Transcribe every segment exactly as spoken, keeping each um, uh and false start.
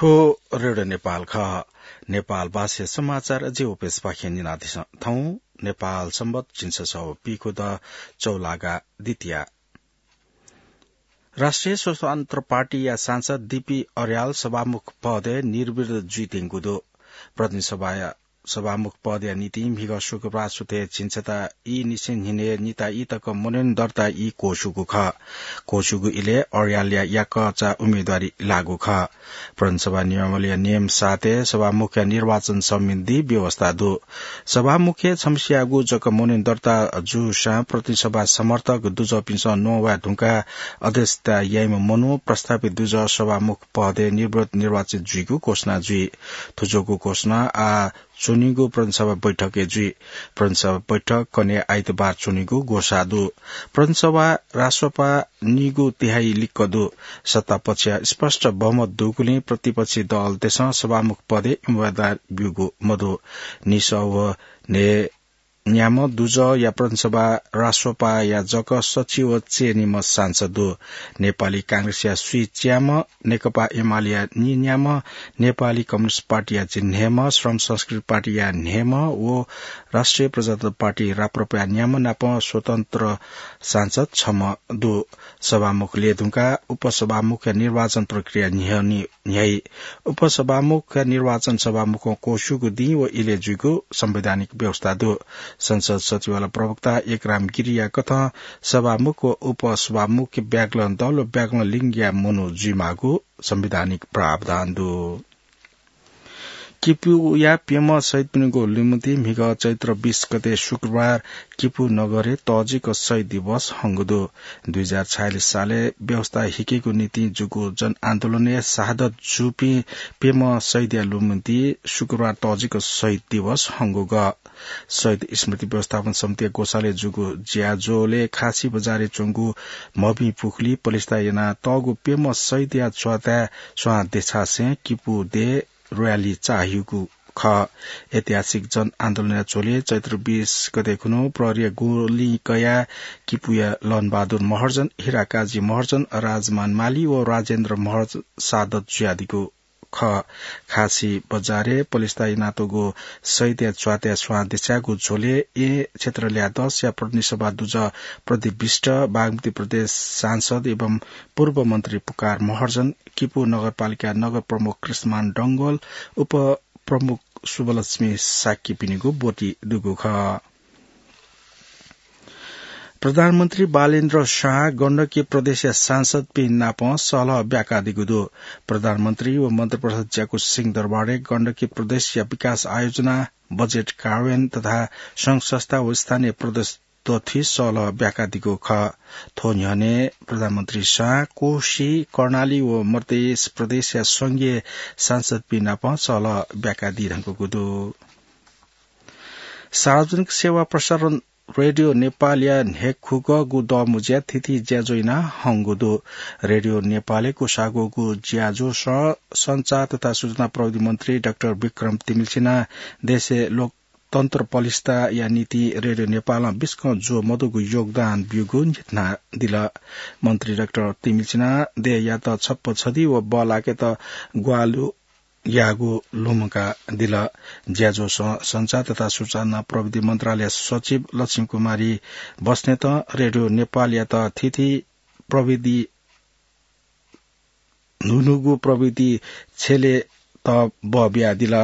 थ्व रेडियो नेपाल खः। नेपाल भाषा समाचार जिं उपेश पाखें न्यनादिसँ। थौं नेपाल संवत् झिंछसः व पीखुदँ चौलागा द्वितीया। राष्ट्रिय स्वतन्त्र पार्टीया सांसद डीपी अर्याल सभामुख पदय् निर्विरोध जुइत्यंगु दु। प्रतिनिधि सभाया सभामुख पदया निंतिं म्हिगः शुक्रबार सुथय् झिंछता ई निसें न्हिनय् निता ई तक मनोनयन दर्ता ई क्वःछूगु खः। क्वःछूगु इलय् अर्यालया याकःचा उम्मेदवारी लाःगु खः। प्रतिनिधि सभा नियमावलीया नियम सातय् सभामुखया निर्वाचन सम्बन्धी व्यवस्था दु। सभामुखय् छम्हसियागु जक मनोनयन दर्ता जूसां प्रतिनिधि सभा समर्थक दुजःपिन्सं नवाये धुंकाः अध्यक्षता याइम्ह मनू प्रस्थापित दुजः सभामुख पदय् निर्विरोध निर्वाचित जुइगु घोषणा जुइ। थुजोगु घोषणा आः च्वनीगु प्रतिनिधि सभा बैठकय् जुइ। प्रतिनिधि सभा बैठक कन्हय् आइतबार च्वनीगु ग्वसाः दु। प्रतिनिधि सभा राजसभा नीगू तिहाई लिक्क दु। सत्तापक्षया स्पष्ट बहुमत दुगुलिं प्रतिपक्षी दलतय्सं सभामुख पदय् उम्मेदवार ब्यूगु मदु। निसः व न्हय् न्याम्ह दुजःया प्रतिनिधि सभा राजसभाया जक सच्छि व च्यय्निम्ह सांसद दु। नेपाली कांग्रेसया स्वीच्याम्ह, नेकपा एमालेया नीन्याम्ह, नेपाली कम्युनिस्ट पार्टीया झिंन्हय्म्ह, श्रम संस्कृति पार्टीया न्हय्म्ह व राष्ट्रिय प्रजातन्त्र पार्टी राप्रपाया न्याम्ह नाप स्वतन्त्र सांसद छम्ह दु। सभामुख लय्धुंकाः उपसभामुखया निर्वाचन प्रक्रिया न्ह्यःने न्ह्याइ। उपसभामुखया निर्वाचन सभामुखं क्वःछूगु दिं व इलय् जुइगु संवैधानिक व्यवस्था दु। संसद सचिवालय प्रवक्ता एकराम गिरीया कथं सभामुख व उपसभामुख ब्यागलं दल व ब्यागलं लिङ्गया मनू जुइमाःगु संवैधानिक प्रावधान दु। किपूया प्यम्ह शहीदपिनिगु लुमन्ति म्हिगः चैत्र बीस गते शुक्रबार किपू नगरय् तःजिक शहीद दिवस हंगु दु। दुई हजार छयालिस सालय् व्यवस्था हिकेगु निंतिं जूगु जनआन्दोलनय् शहादत जूपिं प्यम्ह शहीदया लुमन्ति शुक्रबार तःजिक शहीद दिवस हंगु खः। शहीद स्मृति व्यवस्थापन समितिया ग्वसालय् जूगु ज्याझ्वलय् खासी बजारय् च्वंगु मभिं पुखुली पलिस्था यानातःगु प्यम्ह शहीदया च्वाताय् स्वां देछासें किपू देय् र्‍याली चाःहिउगु खः। ऐतिहासिक जनआन्दोलनया झ्वलय् चैत्र बीस गते खुन्हु प्रहरीया गोलिं कयाः किपूया लहनबहादुर महर्जन, हिराकाजी महर्जन, राजमान माली व राजेन्द्र महर्जन शहादत जुयादीगु खः। खासी बजारय् पलिस्था यानातःगु शहीदया च्वाताय् स्वां देछाःगु झ्वलय् येँ क्षेत्र ल्याः दसया प्रतिनिधि सभा दुजः प्रदीप विष्ट, बागमती प्रदेश सांसद एवं पूर्व मन्त्री पुकार महर्जन, किपू नगरपालिका नगर प्रमुख कृष्णमान डंगोल, उपप्रमुख शुभलक्ष्मी शाक्यपिनिगु ब्वति दुगु खः। प्रधानमन्त्री बालेन्द्र शाह गण्डकी प्रदेशया सांसदपिं नाप सहलह ब्याकादीगु दु। प्रधानमन्त्री व मन्त्रिपरिषद ज्याकू सिंहदरबारय् गण्डकी प्रदेशया विकास आयोजना, बजेट कार्यान्वयन तथा संघ संस्था व स्थानीय प्रदेश दथुइ सहलह ब्याकादीगु खः। थ्व न्ह्यःने प्रधानमन्त्री शाह कोशी, कर्णाली व मधेस प्रदेशया संघीय सांसदपिं नाप सहलह ब्याकादी धुंकूगु दु। सार्वजनिक सेवा प्रसारण रेडियो नेपालया न्हय्खुगःगु दःमुँज्या थीथी ज्याझ्वः याना हंगु दु। रेडियो नेपालय् क्वसाःगु ज्याझ्वःसं सञ्चार तथा सूचना प्रविधि मन्त्री डाक्टर विक्रम तिमिल्सिनां देशय् लोकतन्त्र पलिस्था यायेगु निंतिं रेडियो नेपालं बिस्कं ज्वः मदुगु योगदान ब्यूगु न्ह्यथनादिल। मन्त्री डाक्टर तिमिल्सिनां देय्‌यात छप्पँ छधी व बल्लाकेत ग्वाहालि याःगु लुमंकादिल। ज्याझ्वःसं सञ्चार तथा सूचना प्रविधि मन्त्रालय सचिव लक्ष्मी कुमारी बस्नेतं रेडियो नेपालयात थीथी प्रविधि न्हून्हूगु प्रविधि छ्यलेत बः बियादिल।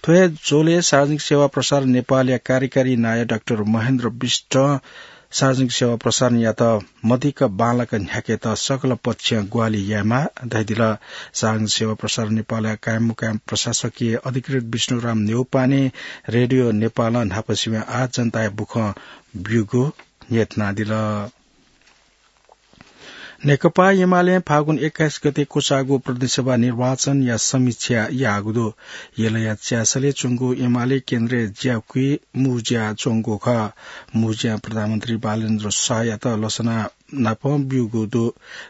थ्व हे झ्वलय् सार्वजनिक सेवा प्रसारण नेपालया कार्यकारी नायः डाक्टर महेन्द्र विष्टं सार्वजनिक सेवा प्रसारणयात मदिक्क बांलाक न्ह्याकेत सकल पक्षं ग्वाहालि यायेमाः धयादिल। सार्वजनिक सेवा प्रसारण नेपालया कायममुकायम प्रशासकीय अधिकृत विष्णुराम न्यौपाने रेडियो नेपालं न्हापासिबें आः जनताया बुखँ ब्यूगु न्ह्यथनादिल। नेकपा एमालें फागुन एक्काइस गते क्वचाःगु प्रतिनिधि सभा निर्वाचनया समीक्षा याःगु दु। यलया च्यासलय् च्वंगु एमाले केन्द्रय् ज्याकुइ मू ज्या च्वंगु खः। मू ज्यां प्रधानमन्त्री बालेन्द्र शाहयात लसना नाप ब्यूगु दु।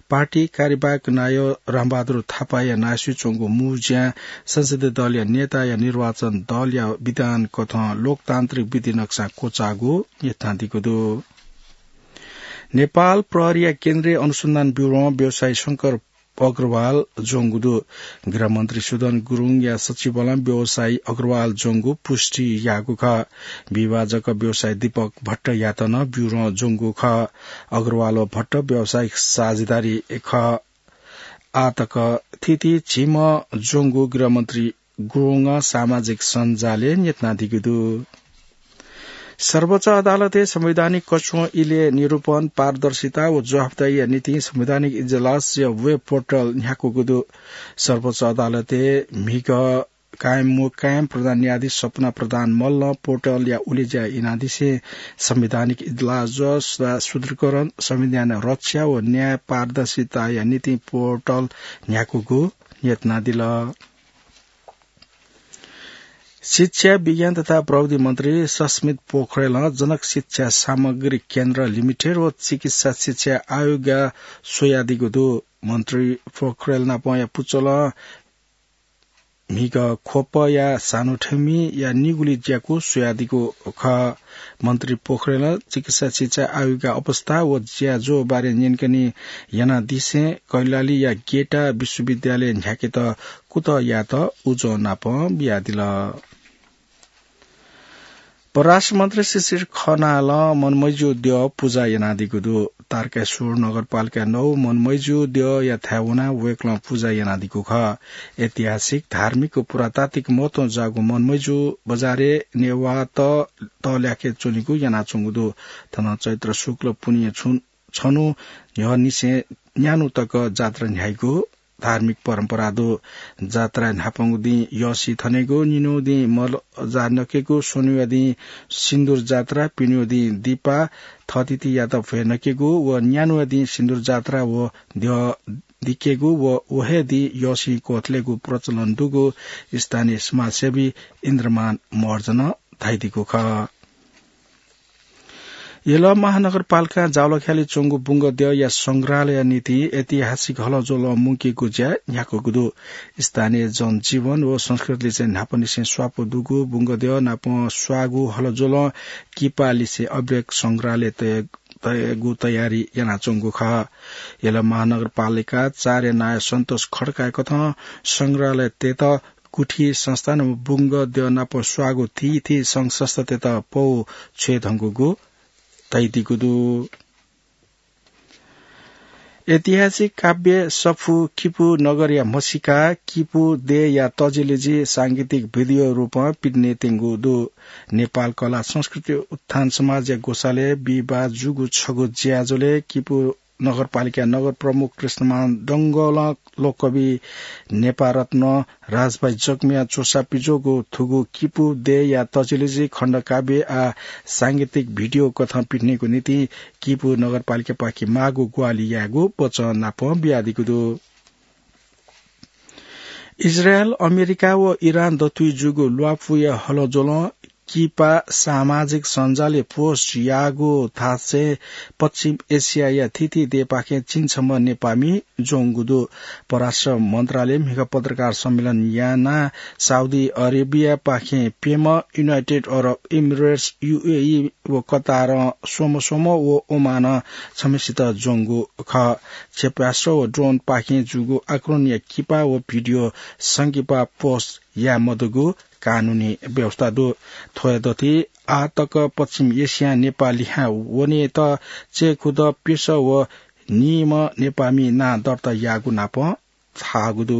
पार्टी कार्यवाहक नायः रामबहादुर थापाया नायःसुइ च्वंगु मू ज्यां संसदीय दलया नेताया निर्वाचन दलया विधान कथं लोकतान्त्रिक विधि नक्सा क्वचाःगु न्ह्यथनादीगु दु। नेपाल प्रहरीया केन्द्रीय अनुसन्धान ब्यूरों व्यवसायी शंकर अग्रवाल ज्वंगु दु। गृहमन्त्री सुदन गुरुङया सचिवलं व्यवसायी अग्रवाल ज्वंगु पुष्टि याःगु खः। विभाजक व्यवसायी दीपक भट्टयात नं ब्यूरों ज्वंगु खः। अग्रवाल व भट्ट व्यावसायिक साझेदारी खः। आतक थीथी झिम्ह ज्वंगु गृहमन्त्री गुरुङं सामाजिक सञ्जालय् न्यतुनादीगु दु। सर्वोच्च अदालतय् संवैधानिक कछुं इलय् निरूपण, पारदर्शिता व जवाफदारीया निंतिं संवैधानिक इजलासया वेब पोर्टल न्ह्याकूगु दु। सर्वोच्च अदालतय् म्हिगः कायम मुकायम प्रधान न्यायाधीश सपना प्रधान मल्लं पोर्टलया उलेज्या यानादिसें संवैधानिक इजलास, सुधारीकरण, संविधान रक्षा व न्याय पारदर्शिताया निंतिं पोर्टल न्ह्याकूगु न्यतुनादिल। शिक्षा, विज्ञान तथा प्रविधि मन्त्री सस्मित पोखरेलं जनक शिक्षा सामग्री केन्द्र लिमिटेड व चिकित्सा शिक्षा आयोगया स्वयादीगु दु। मन्त्री पोखरेल नापंया पुचलं म्हिगः ख्वपया सानोथेमिया निगुली ज्याकू स्वयादीगु खः। मन्त्री पोखरेलं चिकित्सा शिक्षा आयोगया अवस्था व ज्याझ्वः बारे न्यंकने यानादिसें कैलालीया गेटा विश्वविद्यालय न्ह्याकेत कुतः यायेत उजं नापं बियादिल। परराष्ट्र मन्त्री शिशिर खनालं मनमैजु द्यः पुजा यानादीगु दु। तारकेश्वर नगरपालिका नौ मनमैजु द्यःया थाय् वनाः वय्कलं पुजा यानादीगु खः। ऐतिहासिक, धार्मिक व पुरातात्विक महत्वं जाःगु मनमैजु बजारय् नेवाःत तःल्याके च्वनीगु यानाच्वंगु दु। थन चैत्र शुक्ल पुन्हिया छु-, छन्हु न्ह्यःनिसें न्यान्हु तक जात्रा न्ह्याइगु धार्मिक परम्परा दु। जात्राय् न्हापांगु दिं यःसी थनेगु, निन्हुया दिं मलजा नकेगु, स्वन्हुया दिं सिन्दुर जात्रा, पिन्हुया दिं दिपा थःथितियात भ्वय् नकेगु व न्यान्हुया दिं सिन्दुर जात्रा व द्यः दिकेगु व व हे दिं यःसी क्वथलेगु प्रचलन दुगु स्थानीय समाजसेवी इन्द्रमान महर्जनं धयादीगु खः। यल महानगरपालिकां जावलाख्यालय् च्वंगु बुंगद्यःया संग्रहालयया निंतिं ऐतिहासिक हलज्वलं मुंकेगु ज्या न्ह्याकूगु दु। स्थानीय जनजीवन व संस्कृतिलिसें न्हापांनिसें स्वापू दुगु बुंगद्यः नाप स्वाःगु हलज्वलं किपालिसें अभिलेख संग्रहालय तय-, तयेगु तयारी यानाच्वंगु खः। यल महानगरपालिका चारया नायः सन्तोष खड्काया कथं संग्रहालय तयेत गुठी संस्थान व बुंगद्यः नाप स्वाःगु थीथी संघ संस्थातय्त पौ छ्वये धुंकूगु धयादीगु दु। ऐतिहासिक काव्य सफू किपू नगरया म्हसीका किपू देय्‌या तजिलजि सांगीतिक भिडियो रूपं पिने त्यंगु दु। नेपाल कला संस्कृति उत्थान समाजया ग्वसालय् बिहिबाः जूगु छगू ज्याझ्वलय् किपू नगरपालिका नगर प्रमुख कृष्णमान डंगोलं लोककवि नेपारत्न राजभाइ जकमिया च्वसा पिज्वःगु थुगु किपू देय्‌या तजिलजि खण्डकाव्य आः सांगीतिक भिडियो कथं पिथनेगु निंतिं किपू नगरपालिकापाखें माःगु ग्वाहालि यायेगु वचन नाप बियादीगु दु। इजरायल, अमेरिका व इरान दथुइ जूगु ल्वापुया हलज्वलं किपा सामाजिक सञ्जालय् पोस्ट याःगु थासय् पश्चिम एसियाया थीथी देय्‌पाखें झिंछम्ह नेपाःमि ज्वंगु दु। परराष्ट्र मन्त्रालय म्हिगः पत्रकार सम्मेलन यानाः साउदी अरेबियापाखें प्यम्ह, युनाइटेड अरब इमिरेट्स, युएई व कतारं स्वम्ह स्वम्ह व ओमानं छम्हसित ज्वंगु खः। क्षेपणास्त्र व ड्रोनपाखें जूगु आक्रमणया किपा व भिडियो संकिपा पोस्ट याये मदुगु कानूनी व्यवस्था दु। थ्वया दथुइ आः तक पश्चिम एसियां नेपाः लिहां वनेत चय्‌खुदँ प्यसः व नीम्ह नेपाःमि नां दर्ता याःगु नाप धाःगु दु।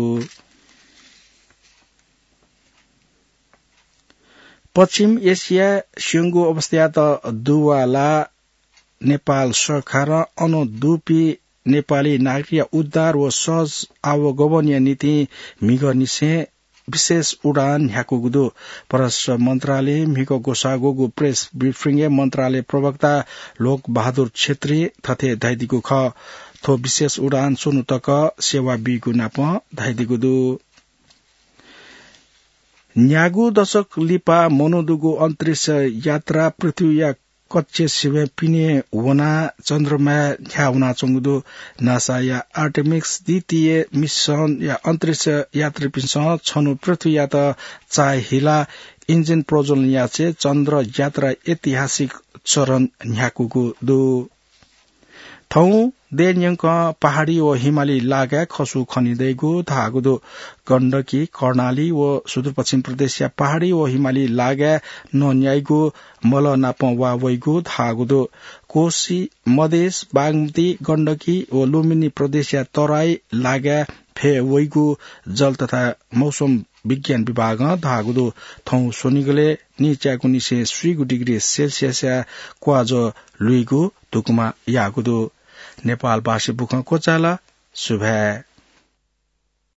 पश्चिम एसियाय् स्यंगु अवस्थायात दुवालाः नेपाल सरकारं अन दुपिं नेपाली नागरिकया उद्धार व सहज आवागमनया निंतिं म्हिगःनिसें विशेष उडान न्ह्याकूगु दु। परराष्ट्र मन्त्रालय म्हिगः ग्वसाः ग्वःगु प्रेस ब्रिफिङय् मन्त्रालय प्रवक्ता लोक बहादुर छेत्रीं थथे धयादीगु खः। थ्व विशेष उडान स्वन्हु तक सेवा बीगु नाप धयादीगु दु। न्यागू दशक लिपा मनूदुगु अन्तरिक्ष यात्रा पृथ्वीया कक्ष सिबें पिने वनाः चन्द्रमाय् न्ह्याः वनाच्वंगु दु। नासाया आर्टेमिस द्वितीय मिसनया अन्तरिक्ष यात्रीपिन्सं छन्हु पृथ्वीयात चाःहिलाः हिलाः इन्जिन प्रज्वलन यासें चन्द्र यात्रा ऐतिहासिक चरण न्ह्याकूगु दु। थौं दय्‌न्यंकं पहाडी व हिमाली लागाय् खसु खनी दइगु धाःगु दु। गण्डकी, कर्णाली व सुदूरपश्चिम प्रदेशया पहाडी व हिमाली लागाय् नन्याइगु मलः नाप वा वइगु धाःगु दु। कोशी, मधेस, बागमती, गण्डकी व लुम्बिनी प्रदेशया तराई लागाय् फय् वइगु जल तथा मौसम विज्ञान विभागं धाःगु दु। थौं स्वनिगलय् नीच्यागुनिसें स्वीगु डिग्री सेल्सियसया क्वाजः लुइगु धुकुमा याःगु दु। नेपालभाषी बुखँ क्वचाल। सुभाय्।